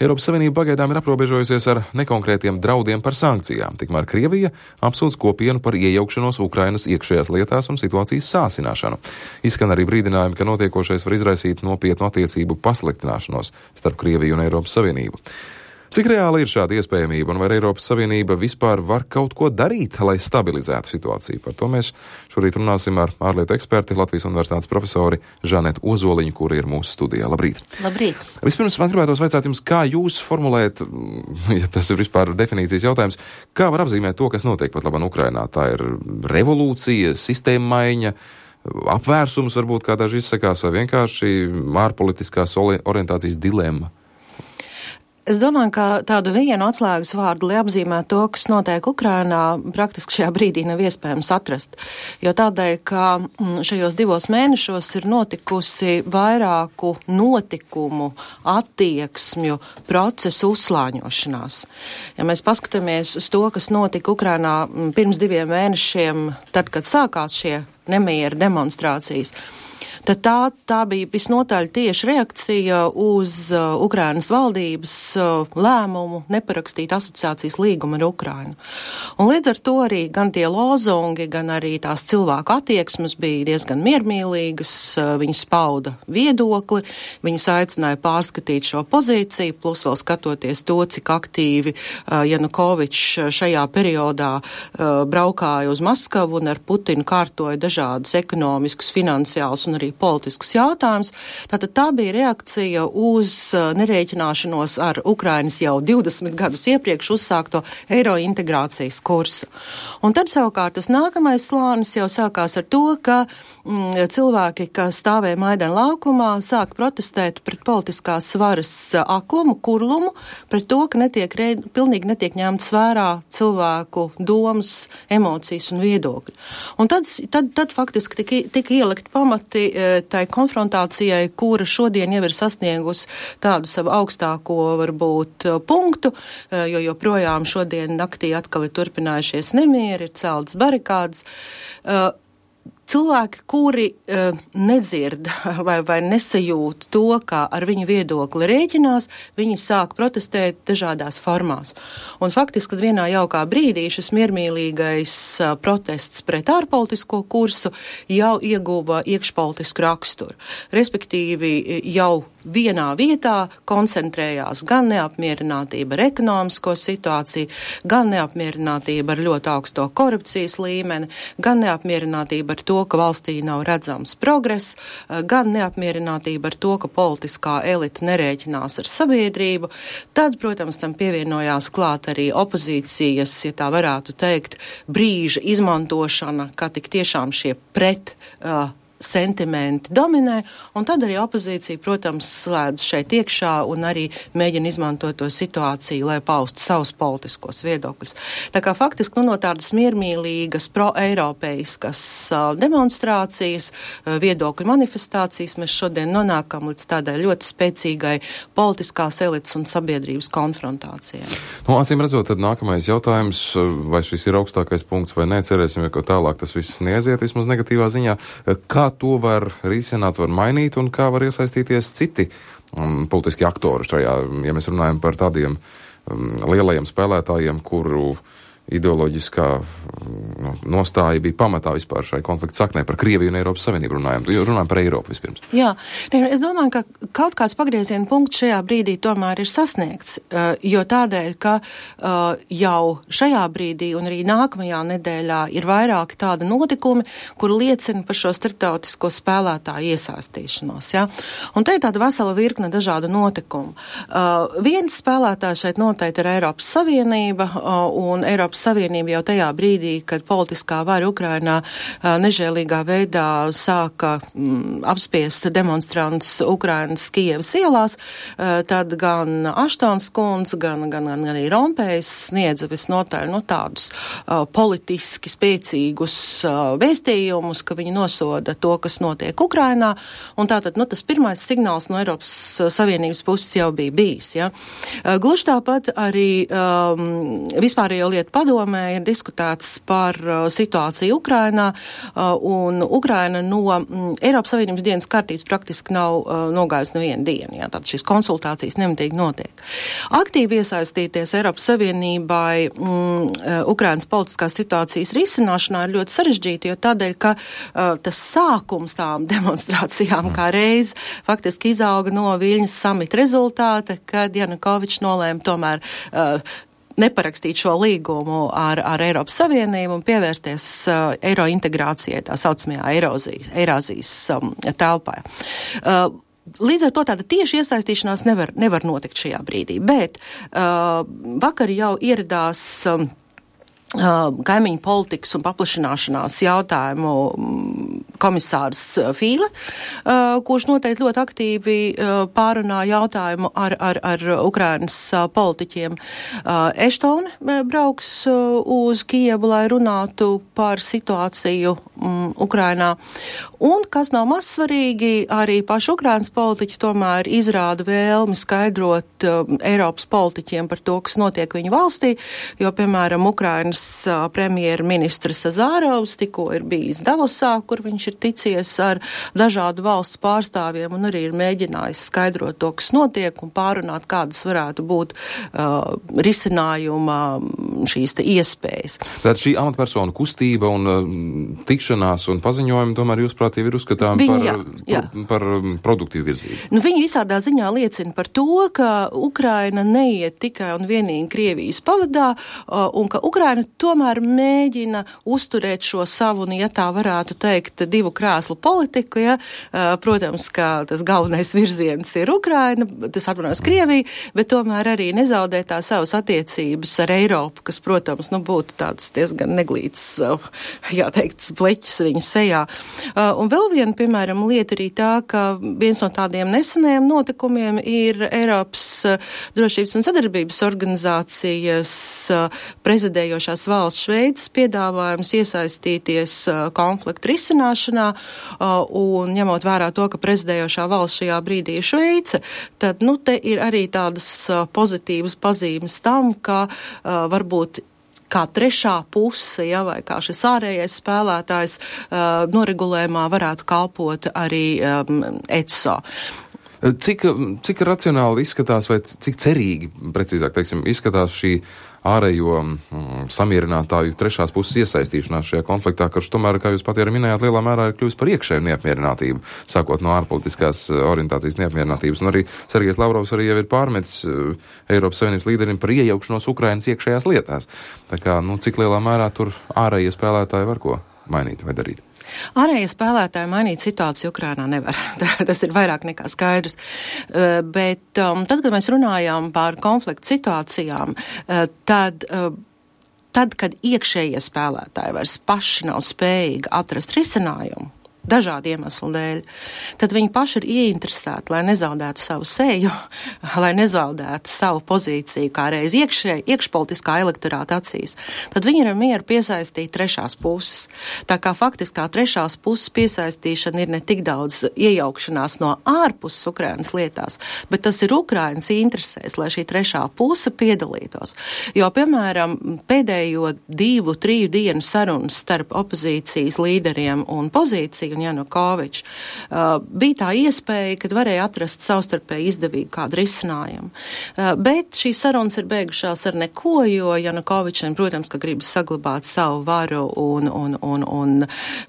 Eiropas Savienība pagaidām ir aprobežojusies ar nekonkrētiem draudiem par sankcijām, tikmēr Krievija apsūdz kopienu par iejaukšanos Ukrainas iekšējās lietās un situācijas sāsināšanu. Izskan arī brīdinājumi, ka notiekošais var izraisīt nopietnu attiecību pasliktināšanos starp Krieviju un Eiropas Savienību. Cik reāli ir šāda iespējamība un vai Eiropas Savienība vispār var kaut ko darīt, lai stabilizētu situāciju? Par to mēs šorīt runāsim ar ārlietu eksperti Latvijas Universitātes profesori Žanetu Ozoliņu, kura ir mūsu studijā. Labrīt! Labrīt! Vispirms man gribētos vaicāt jums, kā jūs formulēt, ja tas ir vispār definīcijas jautājums, kā var apzīmēt to, kas notiek pat labāk Ukrainā? Tā ir revolūcija, sistēma maiņa, apvērsums varbūt, kā daži izsakās, vai vienkārši ārpolitiskās orientācijas dilemma? Es domāju, ka tādu vienu atslēgas vārdu, lai apzīmētu to, kas notiek Ukrainā, praktiski šajā brīdī nav iespējams atrast. Jo tādēļ, ka šajos 2 mēnešos ir notikusi vairāku notikumu, attieksmju, procesu uzslāņošanās. Ja mēs paskatāmies uz to, kas notika Ukrainā pirms 2 mēnešiem, tad, kad sākās šie nemieri demonstrācijas, tad tā bija visnotaļ tieši reakcija uz Ukrainas valdības lēmumu neparakstīt asociācijas līgumu ar Ukrainu. Un līdz ar to arī gan tie lozungi, gan arī tās cilvēku attieksmes bija diezgan miermīlīgas, viņas pauda viedokli, viņas aicināja pārskatīt šo pozīciju, plus vēl skatoties to, cik aktīvi Janukovičs šajā periodā braukāja uz Maskavu un ar Putinu kārtoja dažādus ekonomiskus, finansiālus un arī politisks jautājums. Tātad tā bija reakcija uz nerēķināšanos ar Ukrainas jau 20 gadus iepriekš uzsākto eiro integrācijas kursu. Un tad savukārt tas nākamais slānis jau sākās ar to, ka cilvēki, kas stāvēja Maidana laukumā, sāk protestēt pret politiskās varas aklumu, kurlumu, pret to, ka pilnīgi netiek ņemtas vērā cilvēku domas, emocijas un viedokļi. Un tad faktiski tika ielikt pamati tai konfrontācijai, kura šodien jau ir sasniegusi tādu savu augstāko, varbūt, punktu, jo joprojām šodien naktī atkal ir turpinājušies nemieri, ir celtas barikādas. Cilvēki, kuri nedzird vai nesajūt to, kā ar viņu viedokli rēķinās, viņi sāk protestēt dažādās formās. Un faktiski, kad vienā jaukā brīdī šis miermīlīgais protests pret ārpolitisko kursu jau ieguva iekšpolitisku raksturu. Respektīvi, jau vienā vietā koncentrējās gan neapmierinātība ar ekonomisko situāciju, gan neapmierinātība ar ļoti augsto korupcijas līmeni, gan neapmierinātība ar to, ka valstī nav redzams progress, gan neapmierinātība ar to, ka politiskā elita nerēķinās ar sabiedrību. Tad, protams, tam pievienojās klāt arī opozīcijas, ja tā varētu teikt, brīža izmantošana, kā tik tiešām šie sentimenti dominē, un tad arī opozīcija, protams, slēdz šeit iekšā un arī mēģina izmantot to situāciju, lai paustu savus politiskos viedokļus. Tā kā faktiski no tādas miermīlīgas pro-eiropeiskas demonstrācijas, viedokļu manifestācijas mēs šodien nonākam līdz tādai ļoti spēcīgai politiskās elites un sabiedrības konfrontācijai. Acīm redzot, tad nākamais jautājums, vai šis ir augstākais punkts vai nē, cerēsim, ka tālāk tas viss neaiziet vismaz negatīvā ziņā. Kā to var risināt, var mainīt un kā var iesaistīties citi politiski aktori šajā, ja mēs runājam par tādiem lielajiem spēlētājiem, kuru ideoloģiskā nostāja bija pamatā vispār šai konflikta saknē par Krieviju un Eiropas Savienību runājam par Eiropu vispirms. Jā, es domāju, ka kaut kāds pagrieziena punkts šajā brīdī tomēr ir sasniegts, jo tādēļ, ka jau šajā brīdī un arī nākamajā nedēļā ir vairāki tādi notikumi, kur liecina par šo starptautisko spēlētāju iesaistīšanos. Ja? Un te ir tāda vesela virkne dažādu notikumu. Viens spēlētājs šeit noteikti ir Eiropas Savienība, un Eiropas Savienība jau tajā brīdī, kad politiskā vara Ukrainā nežēlīgā veidā sāka apspiest demonstrantus Ukrainas Kijevas ielās, tad gan Aštons kundze, gan arī Rompējs sniedza visnotaļ tādus politiski spēcīgus vēstījumus, ka viņi nosoda to, kas notiek Ukrainā, un tātad tas pirmais signāls no Eiropas Savienības puses jau bija bijis. Ja? Gluži tāpat arī vispārējo lietu padomē ir diskutēts par situāciju Ukrainā, un Ukraina no Eiropas Savienības dienas kārtības praktiski nav nogājusi nevienu dienu. Jā, tātad šīs konsultācijas nemitīgi notiek. Aktīvi iesaistīties Eiropas Savienībai Ukrainas politiskās situācijas risināšanā ir ļoti sarežģīti, jo tādēļ, ka tas sākums tām demonstrācijām kā reiz faktiski izauga no Viļņas samita rezultāta, kad Janukovičs nolēma tomēr neparakstīt šo līgumu ar Eiropas Savienību un pievērsties eiro integrācijai, tā saucamajā Eirāzijas telpā. Līdz ar to tāda tieši iesaistīšanās nevar notikt šajā brīdī, bet vakar jau ieradās kaimiņu politikas un paplašināšanās jautājumu komisārs Fīle, kurš noteikti ļoti aktīvi pārunā jautājumu ar Ukrainas politiķiem. Eštone brauks uz Kijevu, lai runātu par situāciju Ukrainā. Un, kas nav maz svarīgi, arī paši Ukrainas politiķi tomēr izrāda vēlmi skaidrot Eiropas politiķiem par to, kas notiek viņu valstī, jo, piemēram, Ukrainas premjerministrs Azārovs tikko ir bijis Davosā, kur viņš ir ticies ar dažādu valstu pārstāvjiem un arī ir mēģinājis skaidrot to, kas notiek un pārunāt, kādas varētu būt risinājuma šīs te iespējas. Tātad šī amatpersonu kustība un tikšanās un paziņojumi tomēr jūsuprāt jau ir uzskatām par produktīvu virzību. Nu, viņi visādā ziņā liecina par to, ka Ukraina neiet tikai un vienīgi Krievijas pavadā un ka Ukraina tomēr mēģina uzturēt šo savu, ja tā varētu teikt, divu krēslu politiku, ja. Protams, ka tas galvenais virziens ir Ukraina, tas atvainojas Krievija, bet tomēr arī nezaudēt tā savas attiecības ar Eiropu, kas, protams, būtu tāds diezgan neglīts, jāteikt, pleķis viņa sejā. Un vēl viena, piemēram, lieta arī tā, ka viens no tādiem nesenajiem notikumiem ir Eiropas drošības un sadarbības organizācijas prezidējošās valsts Šveices piedāvājums iesaistīties konfliktu risināšanā un ņemot vērā to, ka prezidējošā valsts šajā brīdī ir Šveice, tad, te ir arī tādas pozitīvas pazīmes tam, ka varbūt kā trešā puse, vai kā šis ārējais spēlētājs noregulējumā varētu kalpot arī ECO. Cik racionāli izskatās, vai cik cerīgi, precīzāk teiksim, izskatās šī ārējo samierinātāju trešās puses iesaistīšanās šajā konfliktā, kurš tomēr, kā jūs pat arī minējāt, lielā mērā ir kļuvis par iekšēju neapmierinātību, sākot no ārpolitiskās orientācijas neapmierinātības. Un arī Sergejs Lavrovs arī jau ir pārmetis Eiropas Savienības līderim par iejaukšanos Ukrainas iekšējās lietās. Tā kā, cik lielā mērā tur ārējie spēlētāji var ko mainīt vai darīt? Ārējie spēlētāji mainīt situāciju Ukrainā nevar. Tas ir vairāk nekā skaidrs. Bet tad, kad mēs runājām par konfliktu situācijām, tad, kad iekšējie spēlētāji vairs paši nav spējīgi atrast risinājumu, dažādu iemeslu dēļ, tad viņi paši ir ieinteresēti, lai nezaudētu savu seju, lai nezaudētu savu pozīciju kā reiz iekšpolitiskā elektorāta acīs, tad viņi ir ar mieru piesaistīt trešās puses. Tā kā faktiskā trešās puses piesaistīšana ir ne tik daudz iejaukšanās no ārpuses Ukrainas lietās, bet tas ir Ukrainas interesēs, lai šī trešā puse piedalītos. Jo, piemēram, pēdējo 2-3 dienu sarunas starp opozīcijas līderiem un pozīciju un Janukovičs, bija tā iespēja, kad varēja atrast savstarpēji izdevīgu kādu risinājumu. Bet šīs sarunas ir beigušās ar neko, jo Janukovičam, protams, ka gribas saglabāt savu varu un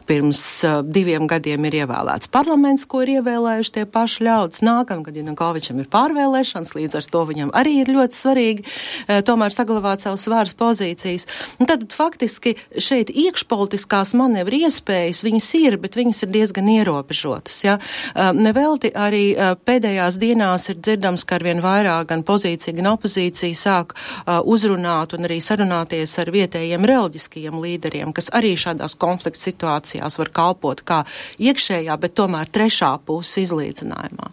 pirms 2 gadiem ir ievēlēts parlaments, ko ir ievēlējuši tie paši ļaudis. Nākamgad Janukovičam ir pārvēlēšanas, līdz ar to viņam arī ir ļoti svarīgi tomēr saglabāt savas varas pozīcijas. Un tad faktiski šeit iekšpolitiskās manevru iespējas viņas ir, bet viņas ir diezgan ierobežotas. Ja? Nevelti arī pēdējās dienās ir dzirdams, ka arvien vairāk gan pozīcija, gan opozīcija sāk uzrunāt un arī sarunāties ar vietējiem reliģiskajiem līderiem, kas arī šādās konflikta situācijās var kalpot kā iekšējā, bet tomēr trešā puse izlīdzinājumā.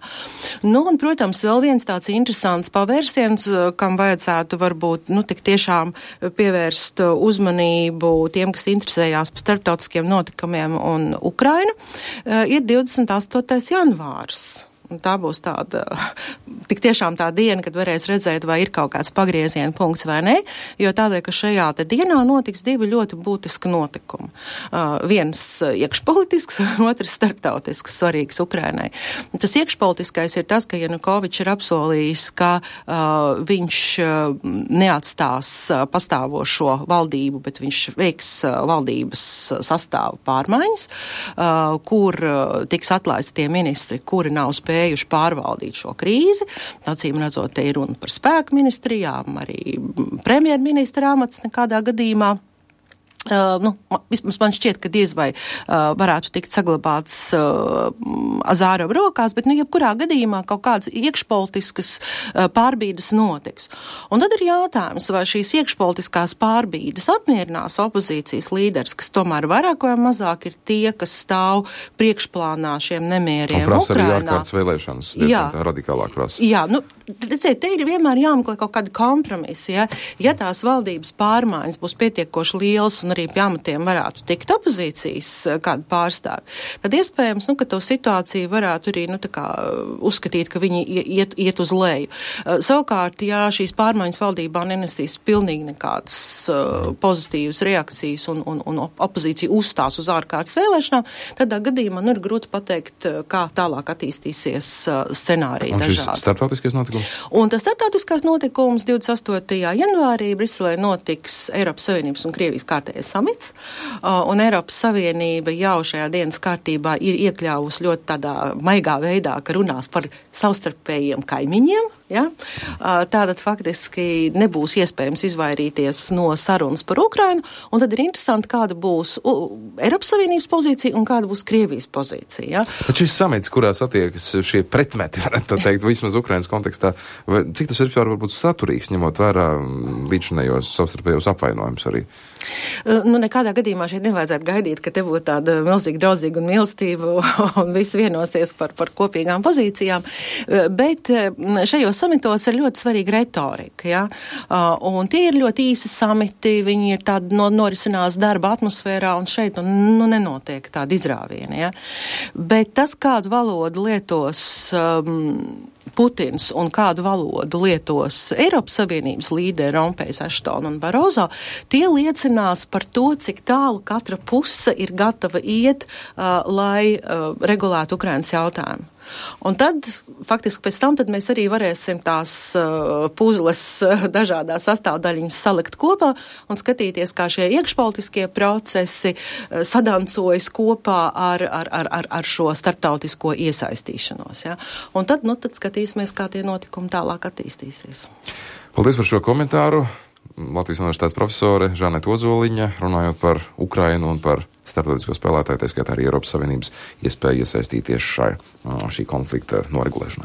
Un, protams, vēl viens tāds interesants pavērsiens, kam vajadzētu varbūt, tik tiešām pievērst uzmanību tiem, kas interesējās par starptautiskiem notikumiem un Ukrainu, ir 28. janvārs. tā būs tāda, tik tiešām tā diena, kad varēs redzēt, vai ir kaut kāds pagrieziena punkts vai ne, jo tādēļ, ka šajā te dienā notiks divi ļoti būtiski notikumi. Viens iekšpolitisks, otrs starptautisks svarīgs Ukrainai. Tas iekšpolitiskais ir tas, ka Janukovičs ir apsolījis, ka viņš neatstās pastāvošo valdību, bet viņš veiks valdības sastāvu pārmaiņas, kur tiks atlaisti tie ministri, kuri nav spējuši pārvaldīt šo krīzi. Acīm redzot, te ir runa par spēku ministrijām, arī premjerministra amats nekādā gadījumā. Vismaz man šķiet, ka diez vai varētu tikt saglabāts Azārova rokās, bet jebkurā gadījumā kaut kādas iekšpolitiskas pārbīdes notiks. Un tad ir jautājums, vai šīs iekšpolitiskās pārbīdes apmierinās opozīcijas līderis, kas tomēr vairāk vai mazāk ir tie, kas stāv priekšplānā šiem nemieriem Ukrainā. Un prasa arī ārkārtas vēlēšanas, diezgan tā radikālāk prasa. Jā, redziet, te ir vienmēr jāmeklē kaut kādi kompromisi, ja tās valdības pārmaiņas būs pietiekoši lielas un arī pie amatiem varētu tikt opozīcijas kādu pārstāvi, tad iespējams, ka to situāciju varētu arī, uzskatīt, ka viņi iet uz leju. Savukārt, ja šīs pārmaiņas valdībā nenesīs pilnīgi nekādas pozitīvas reakcijas un opozīcija uzstās uz ārkārtas vēlēšanām, tādā gadījumā ir grūti pateikt, kā tālāk attīstīsies scenāriji dažādi. Un šis starptautiskais notikums? Un tas starptautiskais notikums 28. janvārī Briselē notiks Eiropas Savienības un Krievijas kārtējais samits, un Eiropas Savienība jau šajā dienas kārtībā ir iekļāvusi ļoti tādā maigā veidā, ka runās par savstarpējiem kaimiņiem. Ja? Tātad faktiski nebūs iespējams izvairīties no sarunas par Ukrainu, un tad ir interesanti, kāda būs Eiropas Savienības pozīcija un kāda būs Krievijas pozīcija. Ja? Bet šis samits, kurās attiekas šie pretmeti, varētu teikt, vismaz Ukrainas kontekstā, cik tas ir varbūt saturīgs, ņemot vērā līdzinējos savstarpējos apvainojumus arī? Nekādā gadījumā šeit nevajadzētu gaidīt, ka te būtu tāda milzīga draudzīga un mīlestība un visi vienosies par kopīgām pozīcijām, bet šajos samitos ir ļoti svarīga retorika, ja? Un tie ir ļoti īsi samiti, viņi ir tādi norisinās darba atmosfērā, un šeit nenotiek tāda izrāviena, ja? Bet tas, kādu valodu lietos Putins un kādu valodu lietos Eiropas Savienības līderi Rompējs, Aštona un Barozo, tie liecinās par to, cik tālu katra puse ir gatava iet, lai regulētu Ukrainas jautājumu. Un tad, faktiski pēc tam, tad mēs arī varēsim tās puzles dažādās sastāvdaļiņas salikt kopā un skatīties, kā šie iekšpolitiskie procesi sadancojas kopā ar šo starptautisko iesaistīšanos. Ja? Un tad skatīsimies, kā tie notikumi tālāk attīstīsies. Paldies par šo komentāru. Latvijas Universitātes profesore Žaneta Ozoliņa, runājot par Ukrainu un par starptautisko spēlētāju, tā skaitā arī Eiropas Savienības iespēju iesaistīties šī konflikta noregulēšanā.